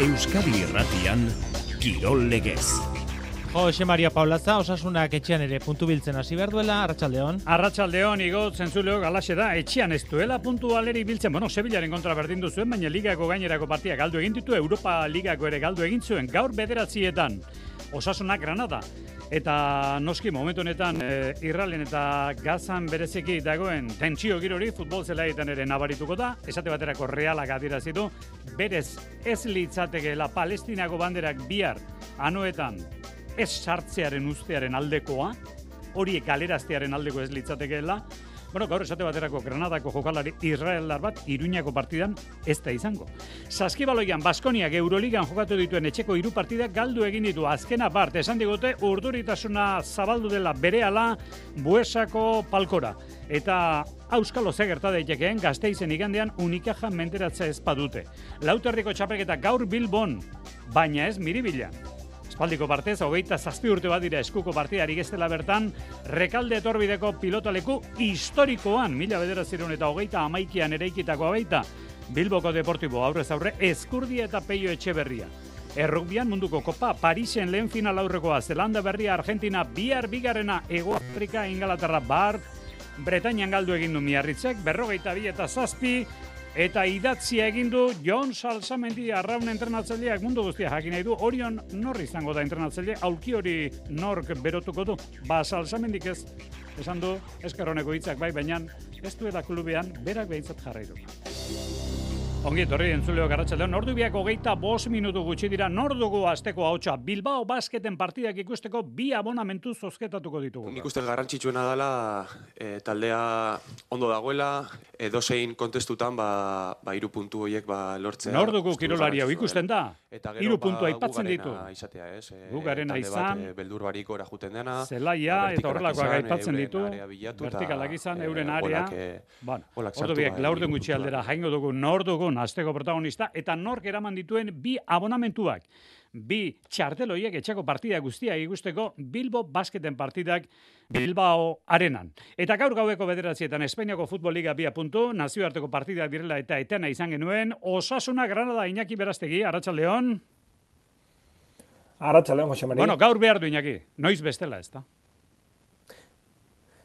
Euskadi Irratian, Kirol Legez. Jose Maria Paulaza, Osasunak etxean ere puntu biltzen hasi behar duela, Arratsaldeon. Arratsaldeon, igo zentzuleo galaxe da, etxean ez duela puntu aleri biltzen. Sevillaren kontra berdin duzuen, baina ligako gainerako partia galdu egin ditu, Europa ligako ere galdu egin zuen, gaur 9:00 Osasunak Granada. Eta noski momentu honetan Irralen eta Gazan bereziki dagoen tentsio girori futbol zelaietan ere nabarituko da. Esate baterako Realak adierazi du, berez ez litzatekeela Palestinako banderak bihar anoetan ez sartzearen ustearen aldekoa, horiek galeraztearen aldeko ez litzatekeela. Gaur esate baterako Granadako jokalari israeldar bat Iruñako partidan ez da izango. Saskibaloian Baskoniak Euroligan jokatu dituen etxeko 3 partidak galdu egin ditu. Azkena part, esan digute urduritasuna zabaldu dela berehala Buesako palkora. Eta auskalo ze gerta daitekeen Gasteizen igandean Unicaja menderatza ez badute. Lauterriko txapelketa gaur Bilbon, baina ez Miribilan. Espaldiko partez, 27 urte bat dira eskuko partidari geztela bertan, Rekalde etorbideko pilotaleku historikoan, 1921an eraikitakoa baita, Bilboko Deportibo aurrez aurre, Ezkurdia eta Peio Etxeberria. Errugbian munduko kopa, Parisen lehen final aurrekoa, Zelanda Berria, Argentina, bihar bigarrena, Hego Afrika, Ingalaterra, Bretainian galdu egin du Miarritzek, 42 eta 7, eta idatzia egin du Jon Salsamendi Arraun entrenatzaileak mundu guztia jakin nahi du. Orion nor izango da entrenatzaile, aulki hori nork berotuko du. Salsamendik ez, esan du, eskerroneko hitzak bai, baina ez duela klubean berak behintzat jarrai du. Ongi etorri entzuleo Arratsaldeon, ordu biak 25 minutu gutxi dira, nor dugu asteko ahotsa. Bilbao Basketen partidak ikusteko 2 abonamentu zozketatuko ditugu. Nik uste garrantzitsuena dela taldea ondo dagoela, edozein kontestutan 3 puntu horiek lortzea. Nor dugu kirolari hau ikusten da? 3 puntu aipatzen ditu. Gu garena izan, beldur barik ora juten dena, zelaia eta horrelakoak aipatzen ditu, vertikalak izan, euren area. Ordu biak laurden gutxi aldera jaingo dugu nor dugun asteko protagonista, eta nork eraman dituen 2 abonamentuak. 2 txarteloiek etxeko partida guztia ikusteko Bilbo Basketen partidak Bilbao Arenan. Eta gaur gaueko 9:00 Espainiako Futbol Liga 2 puntu, nazioarteko partidak direla eta etena izan genuen, Osasuna Granada Iñaki Berastegi, Arratsaldeon. Arratsaldeon, Jose Maria. Gaur behar du Iñaki, noiz bestela ez da?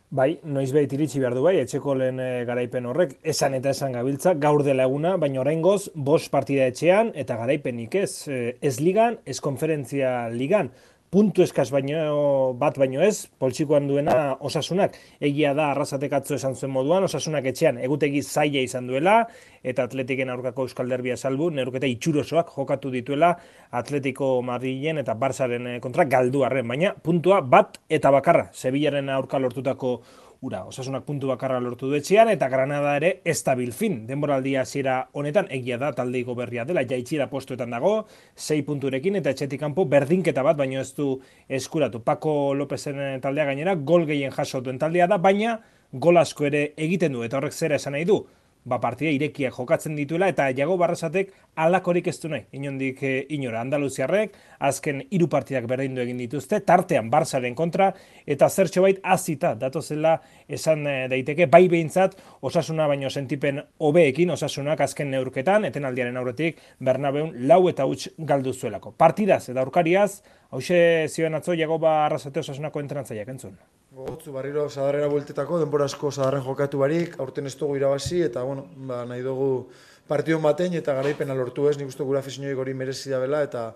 Bai, noizbait iritsi behar du bai, etxeko lehen garaipen horrek, esan eta esan gabiltza, gaur dela eguna, baina oraingoz 5 partida etxean, eta garaipenik ez ligan, ez konferentzia ligan. Puntu eskaz baino ez, poltsikoan duena Osasunak. Egia da, Arrasatek atzo esan zuen moduan, Osasunak etxean egutegi zaila izan duela, eta Atletiken aurkako Euskal Derbia salbu, neurketa itxurosoak jokatu dituela Atletico Madrilen eta Barçaren kontra galdu arren, baina puntua bat eta bakarra, Sevillaren aurka lortutako ura. Osasunak puntu bakarra lortu du etxean, eta Granada ere ez da bilfin. Denboraldia hasiera honetan, egia da taldeiko berria dela, jaitsira postuetan dago, 6 punturekin, eta etxetik kanpo berdinketa bat, baino ez du eskuratu. Paco Lópezen taldea gainera, gol gehien jaso duen taldea da, baina gol asko ere egiten du, eta horrek zera esan nahi du. Partida irekiak jokatzen dituela, eta Iago Barrasatek alakorik ez du nahi. Inondik inora, Andaluziarrek, azken 3 partidak berdindu egin dituzte, tartean Barçaren kontra, eta zertxo bait azita datozela esan daiteke, bai behintzat Osasuna baino sentipen hobeekin, Osasunak azken neurketan, etenaldiaren aurretik, Bernabeun 4-0 galdu zuelako. Partidaz eta aurkariaz, hauxe zioen atzo Iago Barrasate Osasunako entrenatzaileak entzun. Gotzu barriro zadarrera bueltetako, denbora asko zadarren jokatu barik, aurten ez dugu irabazi, eta nahi dugu partidon batein eta garaipena lortu ez, nik uste gura afizioik hori merezi da bela, eta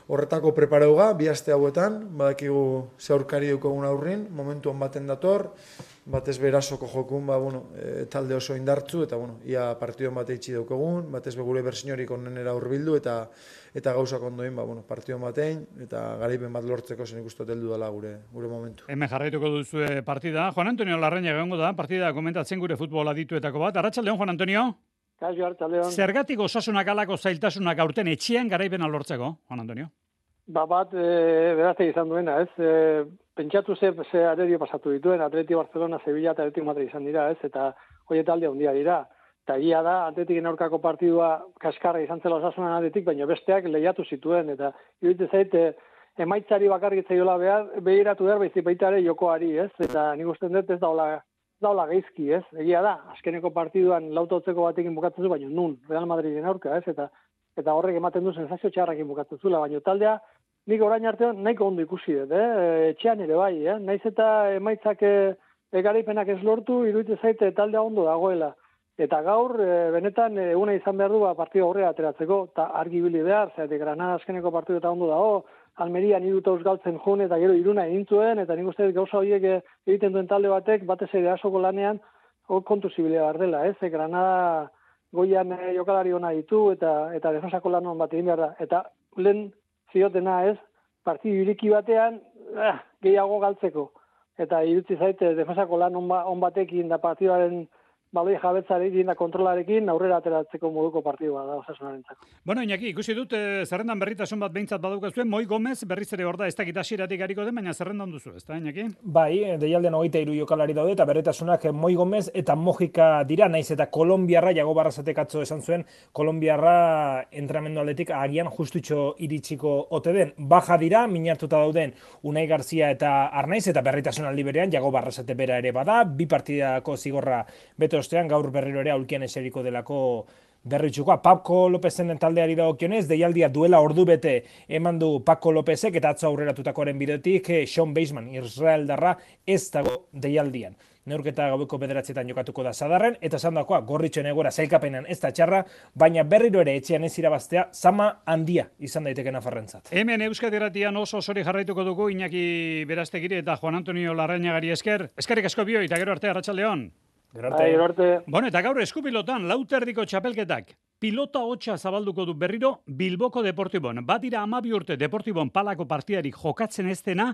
horretako preparauga, 2 aste hauetan, badakigu ze aurkari dukogun aurrin, momentuan baten dator, batez berazoko jokun, talde oso indartzu, eta ia partidon bate itxi daukogun, batez be gure bersiniorik onenera hurbildu, eta gauzak ondoin, partidon batein, eta garaipen bat lortzeko zen ikustu heldu dela gure momentu. Hemen jarraituko duzu partida. Juan Antonio Larraña egongo da, partida komentatzen gure futbol adituetako bat. Arratsaldeon, Juan Antonio. Kaixo, arratsaldeon. Zergatik Osasunak alako zailtasunak aurten etxean garaipena lortzeko, Juan Antonio? Berazte izan duena, ez? Pentsatu ze arerio pasatu dituen, Atleti Barcelona, Sevilla eta Atletico Madrid izan dira, ez? Eta hori talde handia dira. Eta egia da, Atletiken aurkako partidua kaskarra izan zela Osasunan Atletik, baina besteak lehiatu zituen, eta iruditzen zait, emaitzari bakarrik zaiola behiratu behar, baizik baita ere jokoari, ez? Eta nik usten dut ez daula gaizki, ez? Egia da, azkeneko partiduan lautotzeko batekin bukatzen du, baina nun, Real Madriden aurka, ez? Eta eta horrek ematen du sensazio txarrakin bukatzen zula, baina taldea nik orain artean nahiko ondo ikusi dut, etxean ere bai, naiz eta emaitzak garaipenak ez lortu, iruditzen zaite taldea ondo dagoela. Eta gaur, benetan, eguna izan behar du partidu aurrera ateratzeko, eta argi bili behar, zergatik Granada azkeneko partidu eta ondo dago, Almerian 3 galtzen jun, eta gero 1 egin zuen, eta nik uste gauza horiek egiten duen talde batek, batez ere asoko lanean, hor kontu zibilea behar dela, Granada goian jokalari ona ditu, eta defensako lan hon bat egin behar da. Eta lehen ziotena partidu iriki batean, gehiago galtzeko. Eta irutzi zaite, defensako lan on batekin da partiduaren baloi jabetzarekin da kontrolarekin aurrera ateratzeko moduko partidua da Osasunarentzako. Bueno, Iñaki, ikusi dut zerrendan berritasun bat behintzat badukazu, Moi Gomez berriz ere hor da, ez dakit hasieratik hariko den, baina zerrendan duzu, ezta, Iñaki? Bai, deialdean 23 jokalari daude eta berritasunak Moi Gomez eta Mojika dira, naiz eta Kolonbiarra Jago Barrasatek atzo esan zuen, Kolonbiarra entrenamendu aldetik agian justutxo iritsiko ote den. Baja dira, minartuta dauden Unai Garzia eta Arnaiz eta berritasun aldi berean Jago Barrasate bera ere bada, 2 partidako zigorra beto ostean gaur berriro ere aulkian eseriko delako berritxukoa. Paco Lopezen taldeari dagokionez, deialdia duela ordu bete eman du Paco Lopezek eta atzo aurreratutakoaren bideotik Sean Baseman, Israeldarra ez dago deialdian. Neurketa gaueko 9:00 jokatuko da Sadarren, eta esandakoa Gorritxoen egoera sailkapenean ez da txarra, baina berriro ere etxean ez irabaztea zama handia izan daiteke nafarrentzat. Hemen Euskadi Irratian oso sori jarraituko dugu Iñaki Berastegiri eta Juan Antonio Larrañagari esker. Eskerrik asko bioi eta gero arte, arratsaldeon. Gero arte. Bueno, eta gaur eskupilotan lauterdiko txapelketak. Pilota hotxa zabalduko du berriro Bilboko Deportibon. Badira 12 urte Deportibon palako partidarik jokatzen ez dena,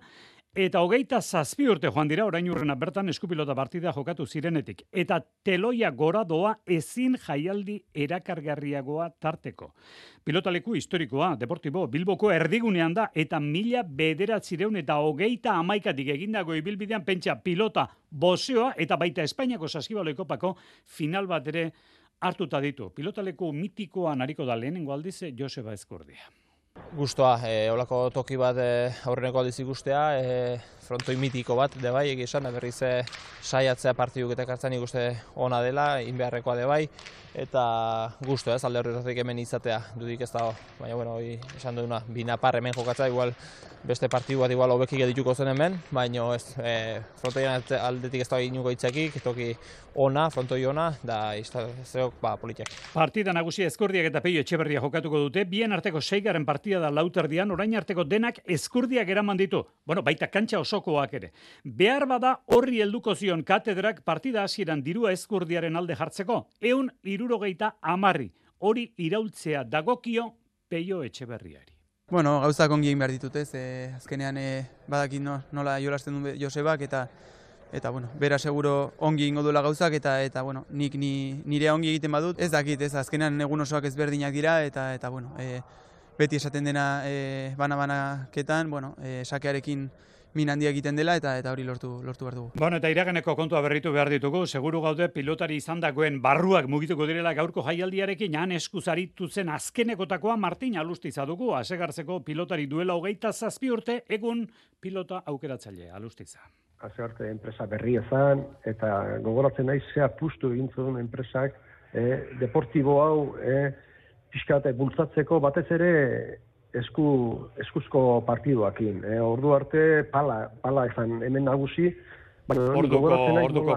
eta 27 urte joan dira orain urrena bertan eskupilota partida jokatu zirenetik. Eta teloia gora doa ezin jaialdi erakargarriagoa tarteko. Pilotaleku historikoa, Deportibo, Bilboko erdigunean da, eta 1921 egindago ibilbidean pentsa pilota boxeoa eta baita Espainiako Saskibaloi kopako final bat ere hartuta ditu. Pilotaleku mitikoan ariko da lehenengo aldiz Joseba Ezkurdia. Gustoa, holako toki bat aurreneko aldiz ikustea, frontoi mitiko bat, de bai, egizan, berriz saiatzea partiduk eta kartzen ikuste ona dela, inbeharrekoa de bai, eta gustoa, alde horretatik hemen izatea, dudik ez da, baina, bueno, esan duguna, binapar hemen jokatzea, igual, beste partidu bat igual hobekik edituko zen hemen, baina ez, frontoian aldetik ez da inuko itzakik, toki ona, frontoi ona, da izteok, politiak. Partida nagusia Ezkurdiak eta Peio Etxeberria jokatuko dute, bien arteko 6. partida da lauterdian, orain arteko denak Ezkurdiak eraman ditu. Bueno, baita kantxa osokoak ere. Behar bada horri helduko zion katedrak partida hasieran dirua Ezkurdiaren alde jartzeko, 170 hori iraultzea dagokio Peio Etxeberriari. Bueno, gauzak ongi egin behar ditut, azkenean badakit nola jolasten du Josebak eta bueno, bera seguro ongi ingo duela gauzak eta bueno, nik nire ongi egiten badut, ez dakit, azkenean egun osoak ezberdinak dira eta bueno, beti esaten dena bana-banaketan, bueno, sakearekin min handia egiten dela eta hori lortu behar dugu. Bueno, eta iraganeko kontua berritu behar ditugu, seguru gaude pilotari izandakoen barruak mugituko direla gaurko jaialdiarekin, han eskuzaritu zen azkenekotakoa Martin Alustiza dugu, asegartzeko pilotari duela 27 urte, egun pilota aukeratzaile Alustiza. Azerte enpresa berria zen, eta gogoratzen naiz zea pustu egin zuen enpresak, deportibo hau pixka eta bultzatzeko batez ere eskuzko partiduakin. Ordu arte pala ezan hemen nagusi. Orduko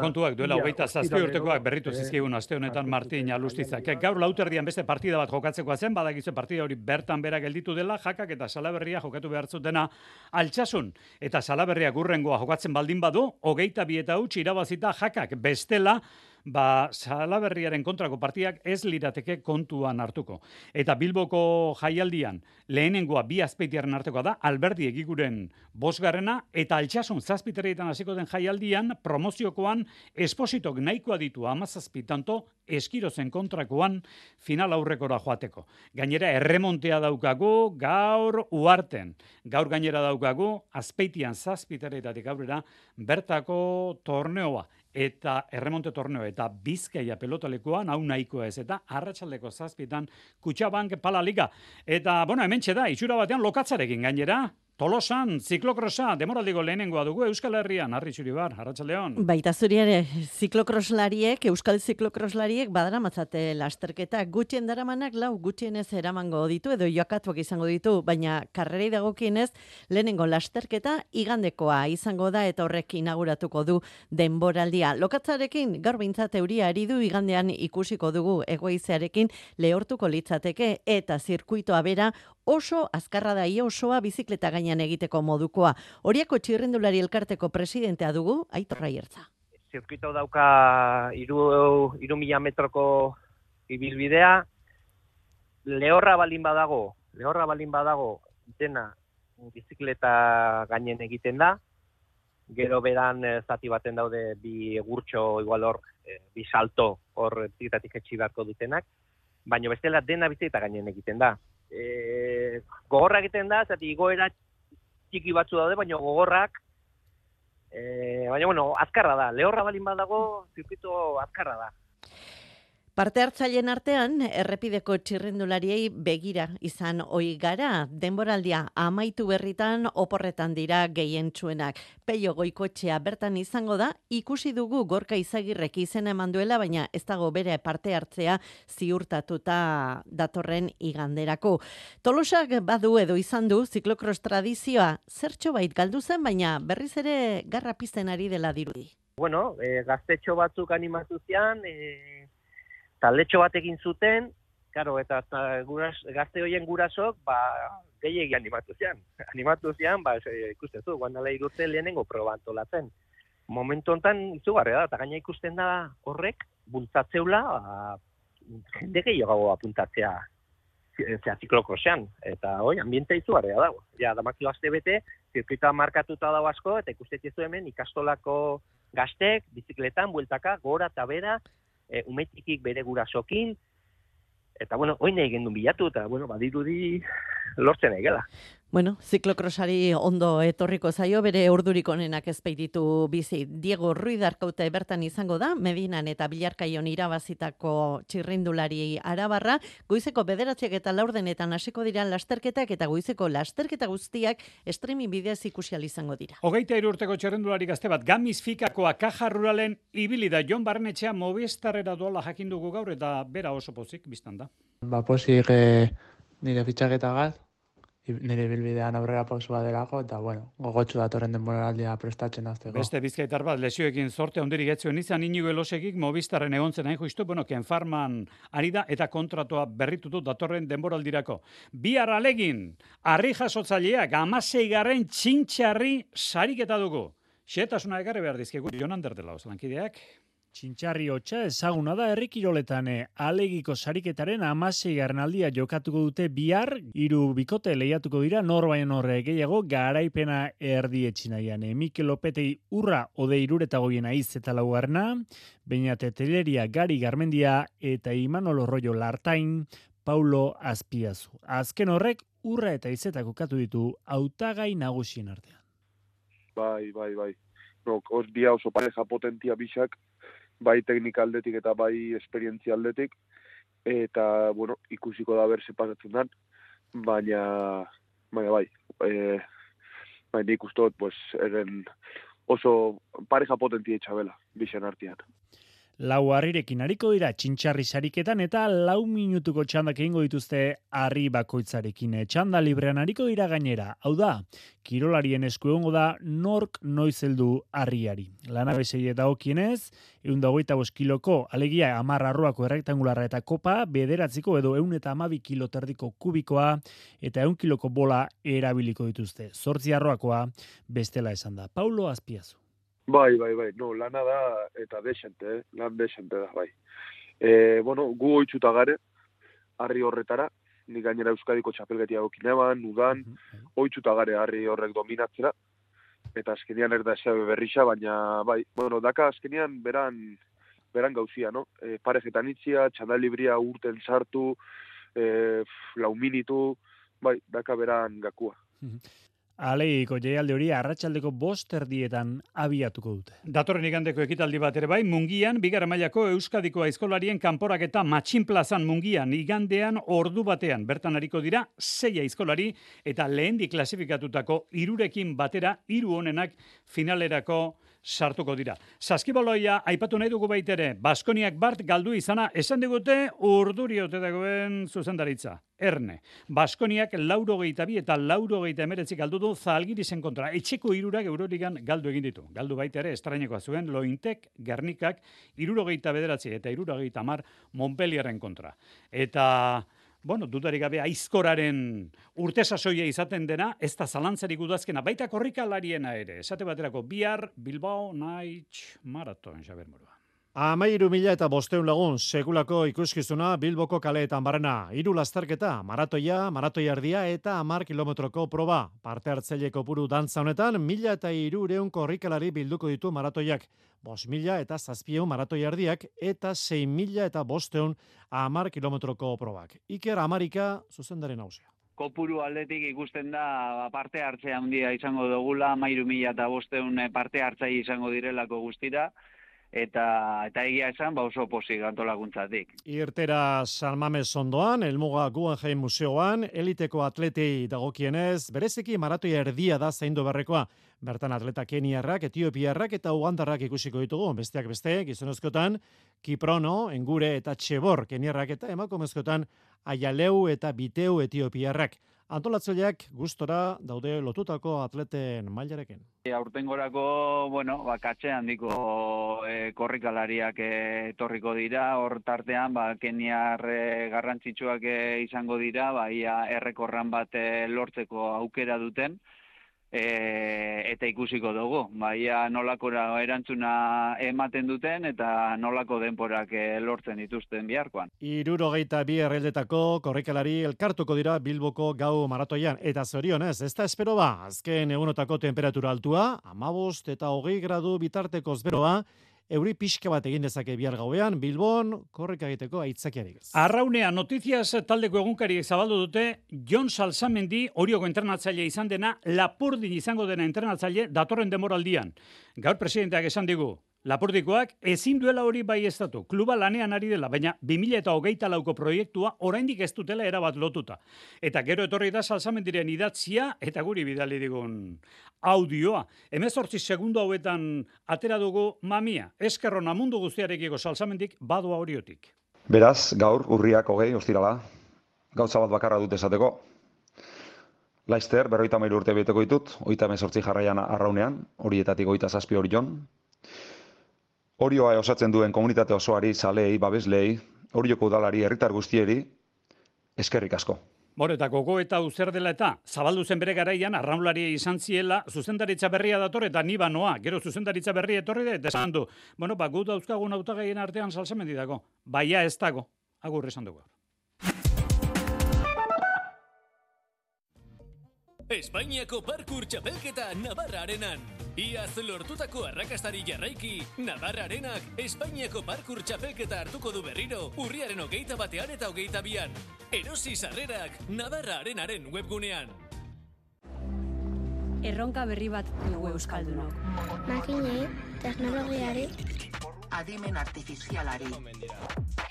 kontuak duela 27 urtekoak berritu zizkigun aste honetan Martin Alustizak. Gaur lauterdian beste partida bat jokatzekoa zen, badakizu partida hori bertan bera gelditu dela, Jakak eta Salaberria jokatu behar zutena Altsasun. Eta Salaberria gurrengoa jokatzen baldin badu, 22 irabazita Jakak bestela, Salaberriaren kontrako partidak ez lirateke kontuan hartuko. Eta Bilboko jaialdian lehenengoa 2 azpeitiaren artekoa da, Alberdi Egiguren 5. eta Altsasun 7. hasiko den jaialdian promoziokoan Espositok nahikoa ditu 17, tanto Eskirozen kontrakoan final aurrekora joateko. Gainera erremontea daukagu gaur Uarten. Gaur gainera daukagu Azpeitian 7. aurrera bertako torneoa. Eta erremonte torneo eta Bizkaia pelotalekoan hau nahikoa ez eta arratsaldeko 7 Kutxabank Pala Liga. Eta, bueno, hementxe da, itxura batean lokatzarekin gainera, Tolosan, ziklokrosa, demoraldiko lehenengoa dugu Euskal Herrian, Arri Zuribar, Arratsaldeon. Baita zuri ere, ziklokroslariek, euskal ziklokroslariek badaramatzate lasterketa, gutxien daramanak gutxienez eramango ditu edo joakatuak izango ditu, baina karrerei dagokienez lehenengo lasterketa igandekoa izango da eta horrek inauguratuko du denboraldia. Lokatzarekin gaur behintzat euria ari du, igandean ikusiko dugu egoizearekin lehortuko litzateke eta zirkuitoa bera oso azkarra da, osoa bizikleta gainean egiteko modukoa. Horiako txirrindulari elkarteko presidentea dugu, Aitor Raiertza. Zirkuito dauka 3.000 metroko ibilbidea, lehorra balin badago dena bizikleta gainen egiten da, gero beran zati baten daude bi egurtxo, igual hor, bi salto hor bizikletatik etxi beharko dutenak, baina bestela dena bizikleta gainen egiten da. Gogorra egiten da, zati igoera txiki batzu daude, baina gogorrak, baina azkarra da, lehorra balin badago, zirkuito azkarra da. Parte hartzaileen artean, errepideko txirrindulariei begira izan ohi gara, denboraldia amaitu berritan oporretan dira gehientsuenak. Peio Goikoetxea bertan izango da, ikusi dugu Gorka Izagirrek izena eman duela, baina ez dago bere parte hartzea ziurtatuta datorren iganderako. Tolosak badu edo izan du ziklokros tradizioa zertxo bait galdu zen, baina berriz ere garra pizten ari dela dirudi. Bueno, gaztetxo batzuk animatu zian, taldetxo bat egin zuten, claro, eta gazte horien gurasok, gehiegi animatu zian. Ikustezu, guandala irurte lehenengo proba antolatzen. Momentu honetan izugarria da, eta gaina ikusten da horrek, bultzatzeula, jende gehiago apuntatzea ziklokrosean. Eta ambiente izugarria dago. Ja, damakio aste bete, zirkuitoa markatuta dago asko, eta ikustezu hemen ikastolako gaztek, bizikletan, bueltaka, gora eta bera, umetikik bere gurasokin, eta, oin nahi gendun bilatu, eta, badirudi lortzen nahi gela. Ziklokrosari ondo etorriko zaio, bere urdurik onenak ezpeititu bizi. Diego Ruiz Arkaute bertan izango da, Medinan eta Bilarkaion irabazitako txirrindulari arabarra, goizeko 9 eta 4 hasiko dira lasterketak, eta goizeko lasterketa guztiak streaming bidez ikusial izango dira. 23 urteko txirrindulari gazte bat, Gamiz Fikakoa Kaja Ruralen ibili da, Jon Barnetxea Movistarrera doala jakin dugu gaur, eta bera oso pozik biztan da. Pozik nire fitxaketagaz, nire bilbidean aurrera pausua delako, eta gogotsu datorren denboraldia prestatzen hasteko. Beste bizkaitar bat, lesioekin zorte handirik etzuen izan, Inigo Elosegik Movistarren egontzen hain justu, Ken Farman ari da, eta kontratua berritutu datorren denboraldirako. Bihar alegin, Arri jasotzaileak 16. txintxarri sariketa dugu. Xetasuna ekarri behar dizkigu, Jon Ander dela lankideak. Txintxarri hotxa ezaguna da herri kiroletan alegiko sariketaren 16. aldia jokatuko dute bihar, 3 bikote lehiatuko dira norbaien horre gehiago garaipena erdietxinaian. Mikel Lopetei urra ode iruretagoien aiz eta laugarna, Beñate Teleria Gari Garmendia eta Imanol Rollo Lartain, Paulo Azpiazu. Azken horrek urra eta izetak kokatu ditu hautagai nagusien artean. Bai. Hor dia oso pareja potentia bisak, bai teknika aldetik eta bai esperientzia aldetik, eta, ikusiko da berse pasatzen dan, baina bai, nik ustot, eren oso pareja potentia itxabela, bisen artean. 4 harrirekin hariko dira txintxarri sariketan eta 4 minutuko txandak egingo dituzte harri bakoitzarekin. Txanda librean hariko dira gainera. Hau da, kirolarien esku egongo da nork noiz heldu harriari. Lanabesei dagokienez, 125 kiloko, alegia 10 arroako errektangularra eta kopa, 9 edo 112 kilo terdiko kubikoa eta 1 kiloko bola erabiliko dituzte. 8 arroakoa bestela esan da. Paulo Azpiazu. Bai, lana da, eta lan desente da, bai. Gu oitzuta gare, harri horretara, nik gainera Euskadiko txapelgetia gokineban, udan, oitzuta gare harri horrek dominatzera, eta azkenian erda esabe berrixa, baina, bai, daka azkenian beran gauzia, no? Parejetan itzia, txandalibria urten sartu, 4 minutu, bai, daka beran gakua. Aleiko jaialdi hori arratsaldeko 5:00 abiatuko dute. Datorren igandeko ekitaldi bat ere bai, Mungian, bigarren mailako Euskadiko aizkolarien kanporaketa Matxin plazan Mungian, igandean ordu batean. Bertan ariko dira 6 aizkolari eta lehendi klasifikatutako 3rekin batera 3 onenak finalerako sartuko dira. Saskibaloia aipatu nahi dugu baitere, Baskoniak bart galdu izana esan digute urduri ote dagoen zuzendaritza. Erne. Baskoniak 82 eta 89 galdu du Zalgirisen kontra. Etxeko 3 Euroligan galdu egin ditu. Galdu baita ere estrainekoa zuen Lointek, Gernikak 79 eta 70 Montpellierren kontra. Eta dudarik gabe aizkoraren urte sasoia izaten dena, ez da zalantzarik udazkena, baita korrikalariena ere. Esate baterako bihar Bilbao Night Marathon, Xaber Murua. 13.500 lagun sekulako ikuskizuna Bilboko kaleetan barrena. 3 lasterketa, maratoi erdia eta 10 kilometroko proba. Parte hartzaileko puru dantza honetan, 1.300 korrikalari bilduko ditu maratoiak. 5.000 eta 700 maratoi erdiak eta 6.500 10 kilometroko probak. Iker Amarika zuzendaren nagusia. Kopuru aldetik ikusten da parte hartzea handia izango dugula, 1300 parte hartzaile izango direlako guztira. Eta egia esan, oso pozik antolakuntzatik. Irtera San Mames ondoan, Elmuga Guggenheim Museoan, eliteko atletei dagokienez, bereziki maratoi erdia da zaindu berrekoa. Bertan atleta keniarrak, etiopiarrak eta ugandarrak ikusiko ditugu. Besteak beste, gizonezkotan, Kiprono, Engure eta Txebor keniarrak eta emakumezkotan Aialeu eta Biteu etiopiarrak. Antolatzaileak gustora daude lotutako atleten mailarekin. Aurtengorako, katxe handiko korrikalariak etorriko dira, hor tartean, keniar garrantzitsuak izango dira, ia errekorran bat lortzeko aukera duten, eta ikusiko dugu. Ia nolako erantzuna ematen duten eta nolako denporak lortzen dituzten biharkoan. 62 herrialdetako korrikalari elkartuko dira Bilboko gau maratoian. Eta zorionez, ez da espero ba, azken egunotako temperatura altua, 15 eta 20 gradu bitartekoz beroa, euri pixka bat egin dezake bihar gauean, Bilbon korrika egiteko aitzakiarik ez. Arraunea, Notizias taldeko egunkariek zabaldu dute, Jon Salsamendi Orioko entrenatzaile izan dena, Lapurdin izango dena entrenatzaile datorren demoraldian. Gaur presidenteak esan digu, Lapurdikoak ezin duela hori baieztatu. Kluba lanean ari dela, baina 2024ko proiektua oraindik ez dutela erabat lotuta. Eta gero etorri da Salsamendiren idatzia eta guri bidali digun audioa. 18 segundo hauetan atera dugu mamia. Eskerrona mundu guztiarekiko Salsamendik badoa horiotik. Beraz, gaur urriak 20 ostirala. Gauza bat bakarra dut esateko. Laster, 53 urte beteko ditut, 38 jarraian arraunean, horietatik 27 Orion. Orioa osatzen duen komunitate osoari, zaleei, babesleei, Orioko udalari, herritar guztieri, eskerrik asko. Eta gogo eta uzer dela eta zabaldu zen bere garaian arraunlaria izan ziela, zuzendaritza berria dator eta ni banoa. Gero zuzendaritza berria etorri da eta esan du. Gu dauzkagun hautagaien artean Salsamendi dago. Baia ez dago. Agur esan dugu. Espainiako parkur txapelketa Navarra Arenan. Iaz lortutako arrakastari jarraiki, Navarra Arenak Espainiako parkur txapelketa hartuko du berriro, urriaren 21 eta 22an. Erosi sarrerak Navarra Arenaren webgunean. Erronka berri bat dugu euskaldunok. Makinei, teknologiari, adimen artifizialari.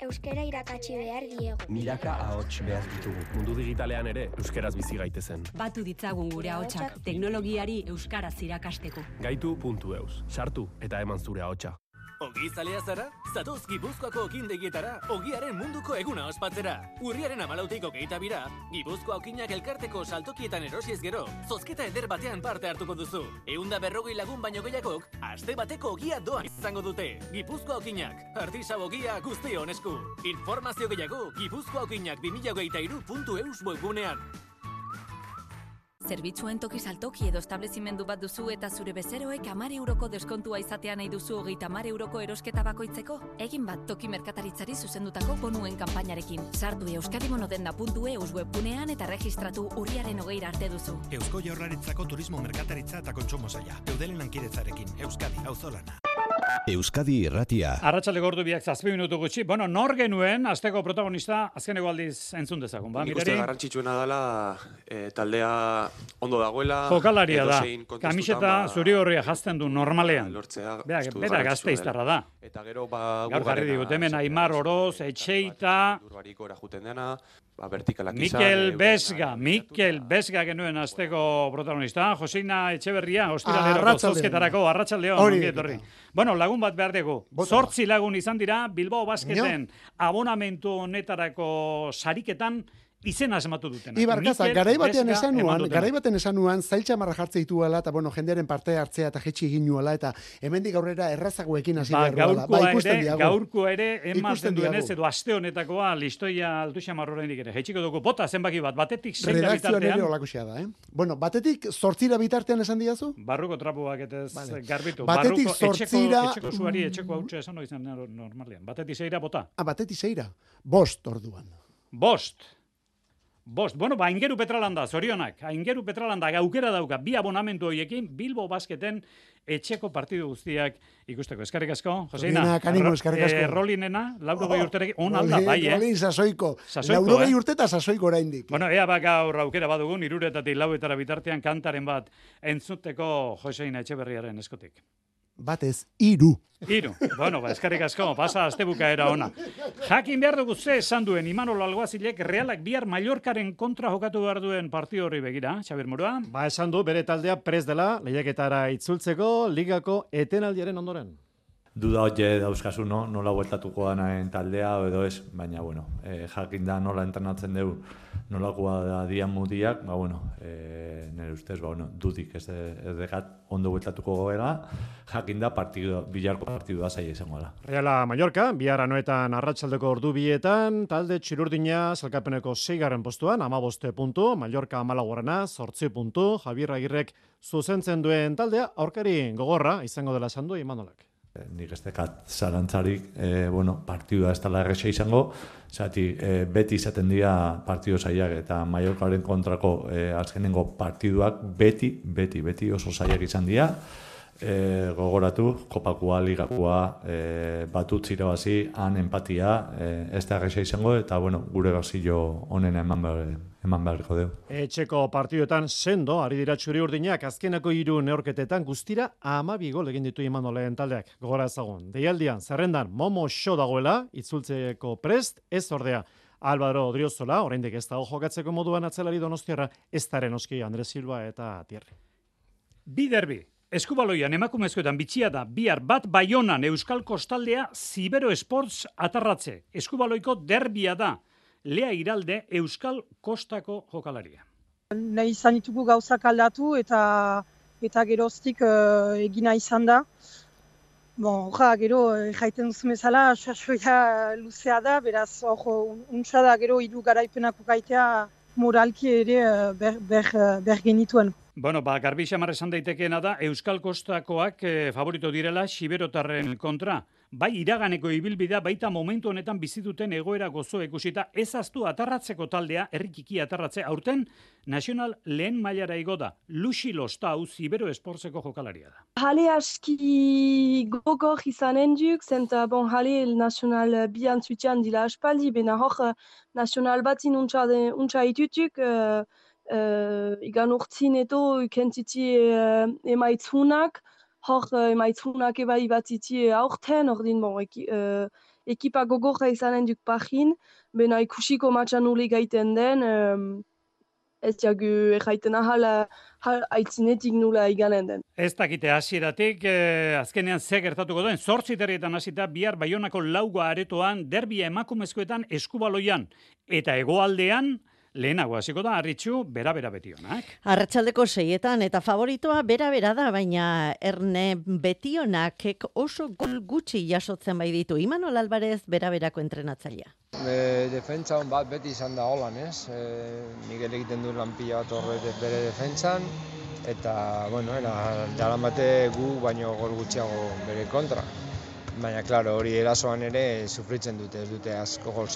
Euskara irakatsi behar diegu. Milaka ahots behar ditugu. Mundu digitalean ere euskaraz bizi gaitezen. Batu ditzagun gure ahotsak teknologiari euskaraz irakasteko. Gaitu.eus. Sartu eta eman zure ahotsa. Ogi zalea zara? Zatoz Gipuzkoako okindegietara, ogiaren munduko eguna ospatzera. Urriaren 14 22ra, Gipuzkoa okinak elkarteko saltokietan erosiez gero, zozketa eder batean parte hartuko duzu. 140 lagun baino gehiagok, aste bateko ogia doan izango dute. Gipuzkoa okinak, artisau ogia guztion esku. Informazio gehiago, gipuzkoaokinak2023.eus webgunean. Zerbitzuen toki saltoki edo establezimendu bat duzu eta zure bezeroek 10 euroko deskontua izatea nahi duzu 30 euroko erosketa bakoitzeko? Egin bat toki merkataritzari zuzendutako bonuen kanpainarekin. Sartu euskadimonodenda.eus webgunean eta registratu urriaren 20 arte duzu. Eusko Jaurlaritzako turismo merkataritza eta kontsumo saila. Eudelen lankidezarekin, Euskadi, auzolana. Euskadi Irratia. Arratsaldeko ordu biak 7 minutu gutxi. Bueno, nor genuen asteko protagonista azkeneko aldiz entzun dezagun, ba? Nik uste garrantzitsuena dela taldea ondo dagoela. Jokalaria da. Kamiseta zuri horria jazten du normalean. Bera Gasteiztarra da. Eta gero gaur jarri digut hemen Aimar Oroz, Etxeita, Urbariko juten dena, vertikalak izan. Mikel Besga genuen asteko protagonista. Joseina Etxeberria, ostiraleroko zozketarako, arratsaldeon, ongi etorri. Bueno, lagun bat behar dugu. 8 lagun izan dira Bilbao Basketen abonamentu honetarako sariketan izena asmatu dutena. Ibarkaza, garaibatean esan nuan, zailtxamarra jartze dituela, eta bueno, jendearen parte hartzea eta jetxi egin nuela, eta hemendik aurrera errazagoekin hasi beharroa. Gaurko ere, ematen duenez, edo aste honetakoa, listoia altuxamarro horrendik ere. Jetxiko dugu, bota zenbaki bat, batetik 6 bitartean. Redakzioan ere olakoxea da, Bueno, batetik 8 bitartean esan diazu? Barruko trapuak eta garbitu. Batetik 8... Etxeko zuari, etxeko hautsa esan izan normalean. Batetik 6 bota. Batetik 6, 5 orduan. 5. Bueno, Aingeru Petralanda, zorionak. Aingeru Petralanda aukera dauka bi abonamentu horiekin Bilbo Basketen etxeko partidu guztiak ikusteko. Eskerrik asko, Joseina. Eskerrik asko. Rolinena, 80 urterekin, on alda, bai, Rolin sasoiko. 80 urte eta sasoiko oraindik. Bueno, ea gaur aukera badugun, 3:00 bitartean kantaren bat entzuteko Joseina Etxeberriaren eskotik. Batez, 3. Bueno, eskerrik asko, pasa astebukaera ona. Jakin behar dugu ze esan duen Imanol Alguazilek Realak bihar Mallorcaren kontra jokatu behar duen partidu horri begira, Xabier Murua? Ba, esan du bere taldea prest dela lehiaketara itzultzeko ligako etenaldiaren ondoren. Duda hotxe dauzkazu, nola bueltatuko danaen taldea edo ez, baina, bueno, jakin da nola entrenatzen dugu, nolakoa da dian mudiak, ba, bueno, nire ustez, ba, bueno, dudik ez dekat ondo bueltatuko goela, jakin da bilarko partidua zaila izango da. Reala Mallorca, bihar anoetan arratsaldeko ordu bietan, talde txirurdina salkapeneko 6. postuan, 15 puntu, Mallorca 14. 8 puntu, Javier Agirrek zuzentzen duen taldea, aurkari gogorra izango dela esan du Imanolak. Nik ez dekat zarantzarik, partidua ez dela erresa izango, zati beti izaten dira partidu zailak eta Mallorcaren kontrako azkenengo partiduak beti oso zailak izan dira. Gogoratu, kopakua, ligakua, batut zirabazi, han empatia, ez da erresa izango, eta gure gazillo honen eman beharriko dugu. Etxeko partiduetan sendo, ari dira txuri-urdinak, azkenako 3 neorketetan guztira 12 gol egin ditu Imanolen taldeak. Gogora ezagun, deialdian, zerrendan, Momo Xo dagoela, itzultzeko prest, ez ordea. Álvaro Odriozola, oraindik ez dago jokatzeko moduan atzelari Donostiarra, ez daren oski Andres Silva eta Thierry. Bi derbi. Eskubaloian emakumezkoetan bitxia da, bihar bat Baionan Euskal Kostaldea Zibero Sports atarratze. Eskubaloiko derbia da, Lea Iralde Euskal Kostako jokalaria. Nahi izan ditugu gauzak aldatu eta geroztik egina izan da. Gero jaiten duzu bezala, sasoia luzea da, beraz, untsa da gero 3 garaipenako gaitea moralki ere ber genituen. Bueno, garbi xamar esan daitekeena da, Euskal Kostakoak favorito direla Xiberotarren kontra. Bai iraganeko ibilbidea baita momentu honetan bizituten egoera gozo ikusita ezaztu atarratzeko taldea, herrikiki atarratze, aurten nazional lehen mailara igo da. Luxi Lostau Zibero Esportzeko jokalaria da. Hale aski gogor izanen duk, zenta hale nazional bian zutean dila aspaldi, bena hor nazional batin untsa itutuk, igan urtzin eto kentiti emaitzunak, hor emaitzunak ebai batiti aurten, ordin ekipa gogorra izanen duk pahin, bena ikusiko matxan ule gaiten den, ez jagu erraiten ahal aitzinetik nula iganen den. Ez dakite hasieratik, azkenean ze gertatuko duen, 8 terrietan hasita bihar Baionako 4 aretoan, derbia emakumezkoetan Eskubaloian, eta hegoaldean, lehenago hasiko da, Arritxu, bera betionak. Arratsaldeko 6etan eta favoritoa bera da, baina Erne Betionak oso gol gutxi jasotzen bai ditu. Imanol Alvarez bera-berako entrenatzailea. Defentsa on bat beti izan da holan, ez? Miguel egiten du lan pila bat horre bere defentsan, eta, daramate gu baino gol gutxiago bere kontra. Baina, klaro, hori erasoan ere sufritzen dute, ez dute asko gol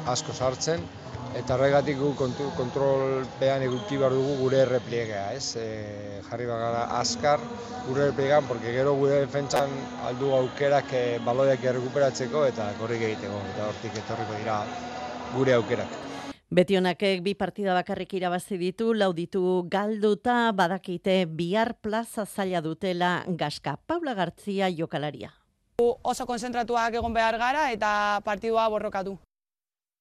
asko sartzen, Eta horregatik gu kontrolpean eduki behar dugu gure errepliegea, ez? Jarri bagara azkar gure errepliegean, porque gero gure defentsan aldu aukerak baloiak errekuperatzeko eta korrik egiteko, eta hortik etorriko dira gure aukerak. Betionakek 2 partida bakarrik irabazi ditu, 4 ditu galduta, badakite bihar plaza zaila dutela Gaska. Paula Gartzia jokalaria. Oso konzentratuak egon behar gara eta partidua borrokatu.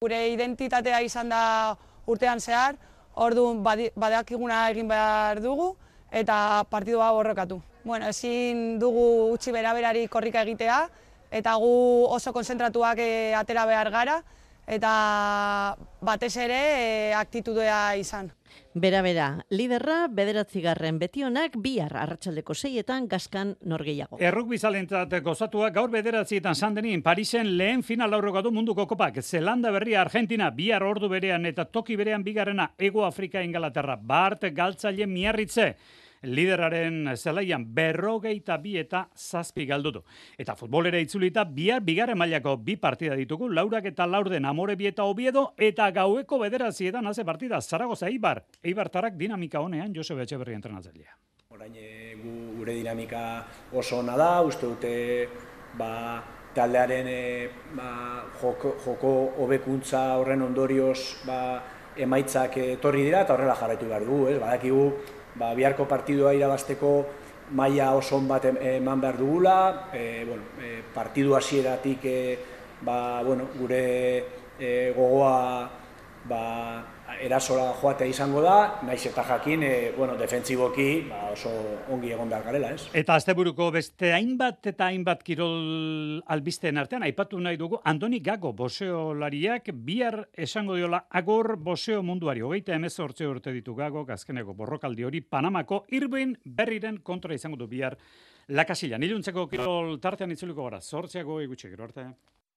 Gure identitatea izan da urtean zehar, orduan badakiguna egin behar dugu eta partidua borrokatu. Bueno, ezin dugu utzi beraberari korrika egitea eta gu oso konzentratuak atera behar gara eta batez ere aktitudea izan. Bera, liderra 9. Betionak bihar arratsaldeko 6etan Gaskan norgehiago. Errukbizalentzat gozatuak gaur 9etan Sandenin Parisen lehen final aurrokatu munduko kopak. Zelanda Berria Argentina bihar ordu berean eta toki berean bigarrena Hego Afrika Ingalaterra. Bart Galtzaile Miarritze. Lideraren zelaian 42 eta 7 galdutu. Eta futbolera itzulita bihar bigarren mailako 2 partida ditugu, Laurak eta Laurden Amorebi eta Oviedo, eta gaueko 9etan haze partida Zaragoza Eibar. Eibartarrak dinamika honean Josebe Etxeberri entrenatzailea. Orain gure dinamika oso ona da, uste dute taldearen joko hobekuntza horren ondorioz emaitzak etorri dira eta horrela jarraitu behar dugu, badakigu biharko partidua irabazteko maila oso on bat eman behar dugula, partidu hasieratik gure gogoa erasora joatea izango da, naiz eta jakin defentsiboki oso ongi egon behar garela, ez? Eta asteburuko beste hainbat kirol albisteen artean aipatu nahi dugu Andoni Gago boxeolariak bihar esango diola agor boxeo munduari. 38 urte ditu Gago, azkeneko borrokaldi hori Panamako Irvin Berriren kontra izango du bihar Lakasilan. Iluntzeko kirol tartean itzuliko gara. 8 gutxi gero arte.